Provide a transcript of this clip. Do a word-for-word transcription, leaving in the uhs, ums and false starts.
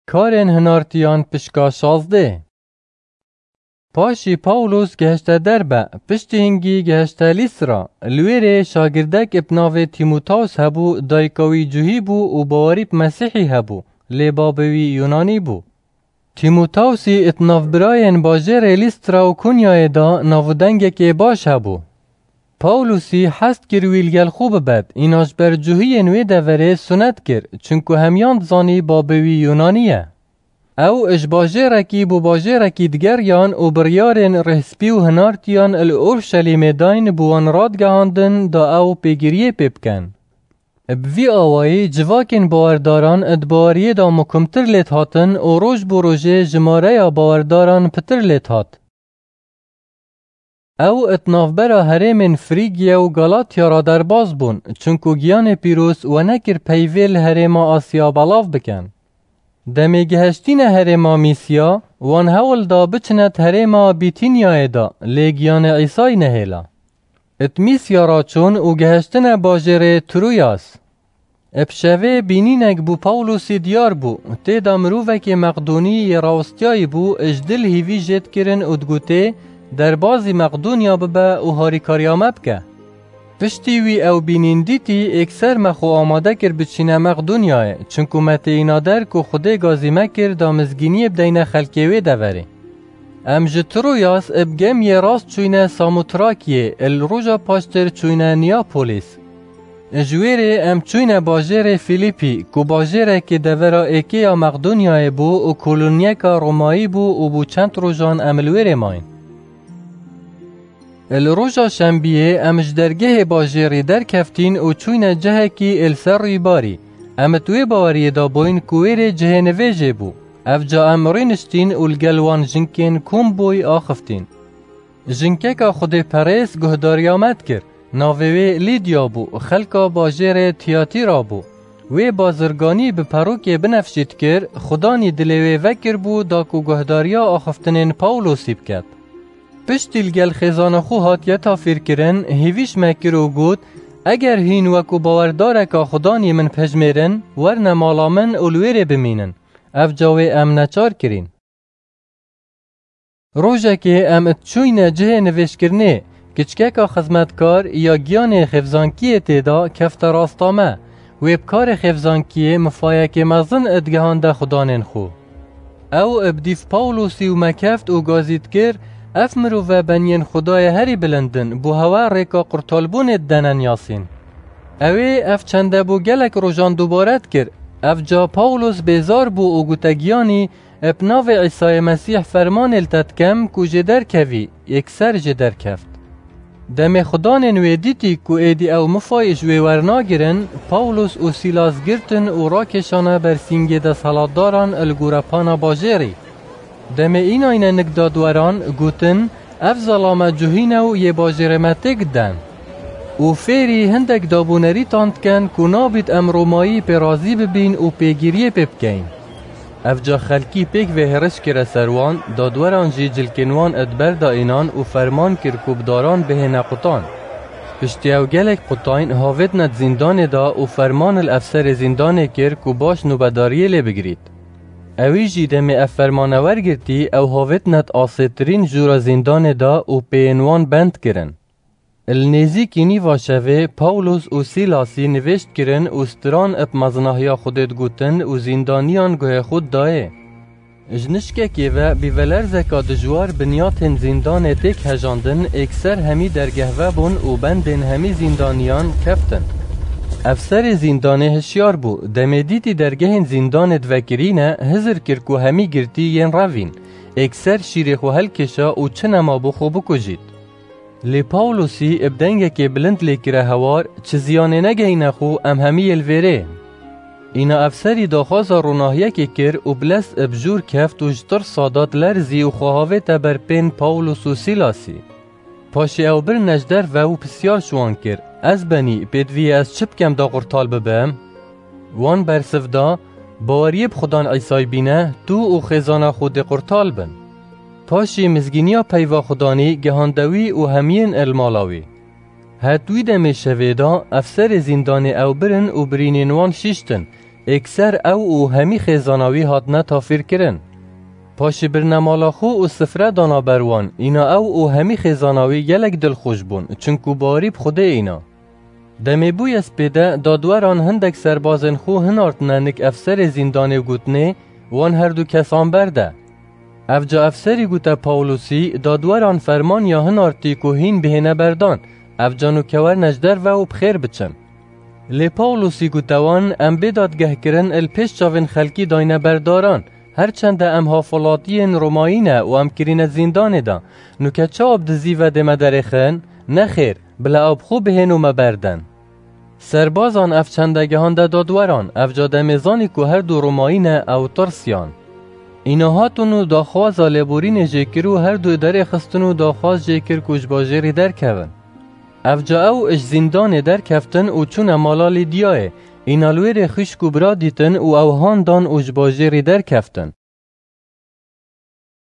Karên hinartiyan pişka şazdeh. Paşî Pawlos gehişte Derbe, piştî hingî gehişte Lîstra. Li wê rê şagirdek bi navê Tîmotews hebû, dayika wî cuhî bû û bawerî bi Mesîhî hebû, lê babê wî Yunanî bû. Tîmotewsî it navbirayên bajêrê Lîstra û Kunyayê de navûdengekê baş hebû. Pawlosî hest kir wî li gel xwe bibet, îna ji ber cuhiyên wê deverê sunet kir, çunku hemiyan dizanî babê wî Yunanî ye. Ew ji bajêrekî bo bajêrekî digeriyan û biryarên rêhspî û hinartiyan li Orşelîmê dayn bo wan radigehandin da ew pêgiriyê pê bikin. Bi vî awayî civakên bawerdaran di baweriyê de muhkimtir lê dihatin û roj bo rojê jimareya bawerdaran pitir lê dihat. Ew di navbera herêmên Frîgiye û Galatya re derbas bûn, çunku giyanê pîroz we nekir peyvê li herêma Asya belav bikin. Demê gihiştîne herêma Mîsya, wan hewl da biçine di herêma Bîtînyayê de, lê giyanê Îsayî nehêla. It Mîsya re çûn û gihiştine bajêrê Troyas. Bi şevê bînînek bo Pawlosî diyar bû, tê de mirovekê Meqdonî yê rawestiyayî bû, ji dil hîvî jê dikirin û digotê, derbazî Meqdoniya bibe û harîkariya me bike. Piştî wî ew bînîn dîtî, êkser me xwe amade kir biçîne Meqdonyayê, çunku me têîna der ku Xwedê gazî me kir da mizgîniyê bideyne xelkê wê deverê. Em ji Troyas bi gemiyê rast çûyne Samotrakiyê, li roja paştir çûyne Neapolis. Ji wê rê em çûyne bajêrê Fîlîpî, ku bajêrekê devera êkê ya Meqdonyayê bû û koloniyeka Romayî bû û bû çend rojan em li wê rê mayîn. Li roja şembiyê em ji dergehê bajêrî derkeftîn û çûyne cihekî li ser rûybarî. Em di wê baweriyê de bûyn ku wê rê cihê nivêjê bû. Evca em rûniştîn û li gel wan jinkên kom bûy axiftîn. Jinkeka xwedêperêz guhdariya me dikir. Navê wê Lîdya bû, xelka bajêrê Tiyatîra bû. Wê bazirganî bi perokê binefşî dikir, Xudanî dilê wê vekiribû da ku guhdariya axiftinên Pawlosî biket. Piştî li gel xêzana xwe hatiye tafîrkirin, hêvîş me kir û got, eger hîn wekû bawerdareka Xudanî min pejmêrin, werne mala min û li wê rê bimînin. Evca wê em neçar kirîn. Rojekê em diçûyne cihê nivêjkirinê, kiçkeka xizmetkar ya giyanê xêvzankiyê tê de kefte rasta me. Wê bi karê xêvzankiyê mifayekê mezin digihande xudanên xwe. Ew bi dîv Pawlosî û me keft û gazî dikir, ev mirove beniyên Xwedayê herî bilind in, bo hewe rêka qurtalbûnê didene niyasîn. Ew ê ev çende bo gelek rojan dubare dikir. Evca Pawlos bêzar bû û gote giyanî, bi navê Îsayê Mesîh fermanê li te dikem ku jê derkevî, yekser jê derkeft. Demê xudanên wê dîtî ku êdî ew mifayê ji wê wernagirin, Pawlos û Sîlas girtin û rakêşane ber sîngê desthilatdaran li gorepana bajêrî. Demê înayne nik dadweran, gotin, ev zelame cuhî ne û yê bajêrê me têk diden. Û fêrî hindek dabûnerîtan diken ku nabît em Romayî pê razî bibîn û pêgiriyê pê bikeyn. Evca xelkî pêk vê hêriş kire ser wan, dadweran jî cilkên wan di ber de înan û ferman kir ku bi daran bihêne qutan. Piştî ew gelek qutayîn havêtine di zîndanê de û ferman li efserê zîndanê kir ku baş nûbedariyê lê bigirît. Ewî jî demê ev fermane wergirtî, ew havêtine di asêtirîn jûra zîndanê de û pêyên wan bend kirin. Li nêzîkî nîva şevê Pawlos û Sîlasî nivêj dikirin û stiran bi mezinahiya Xwedê digotin û zîndaniyan guhê xwe didayê. Ji nişkekê ve bîvelerzeka dijwar binyatên zîndanê têk hejandin, êkser hemî dergeh vebûn û bendên hemî zîndaniyan keftin. Efserê zîndanê hişyar bû, demê dîtî dergehên zîndanê divekirîne, hizir kir ku hemî girtî yên revîn. Êkser şîrê xwe helkêşa û çi nema bo xwe bikujît. Lê Pawlosî bi dengekê bilind lê kire hewar, çi ziyanê negehîne xwe, em hemî yê li vêrê. Îna efserî daxwaza ronahiyekê kir û bi lez bi jûr keft û ji tirsa da dilerzî û xwe havête ber pên Pawlos û Sîlasî. Paşê ew birine ji derve û pisyar ji wan kir, ez benî, pêdivî ez çi bikem da qurtal bibim? Wan bersiv da, baweriyê bi Xudan Îsayî bîne, tu û xêzana xwe dê qurtal bin. Paşî mizgîniya peyva Xudanî gihande wî û hemiyên el mala wî. Het wî demê şevê da, efserê zîndanê ew birin û birînên wan şiştin, Êkser ew û hemî xêzana wî hatine tafîrkirin. Paşî birine mala xwe û sifre dana ber wan, îna ew û hemî xêzana wî gelek dilxweş bûn, çinku bawerî bi Xwedê îna. Demê bûye spê de, dadweran hindek serbazên xwe hinartine nik efserê zîndanê û gotinê, wan herdu kesan berde. Evca efserî gote Pawlusî, dadweran ferman ya hinartî ku hîn bihêne berdan, evca nûke werine ji derve û bi xêr biçin. Lê Pawlusî gote wan, em bê dadgehkirin li pêş çavên xelkî dayne berdaran, her çende em hafwelatiyên Romayî ne û em kirîne zîndanê de, nûke çawa bi dizî ve dê me derêxin? Nexêr, bila ew bi xwe bihên û me berdin. Serbazan ev çende gihande dadweran, evca demê zanî ku her du Romayî ne, ew tirsiyan. Îna hatin û daxwaza lêborînê jê kir û her du derêxistin û daxwaz jê kir ku ji bajêrî derkevin. Evca ew ji zîndanê derkeftin û çûne mala Lîdyayê, îna li wêrê xwişk û bira dîtin û ew han dan û ji bajêrî derkeftin.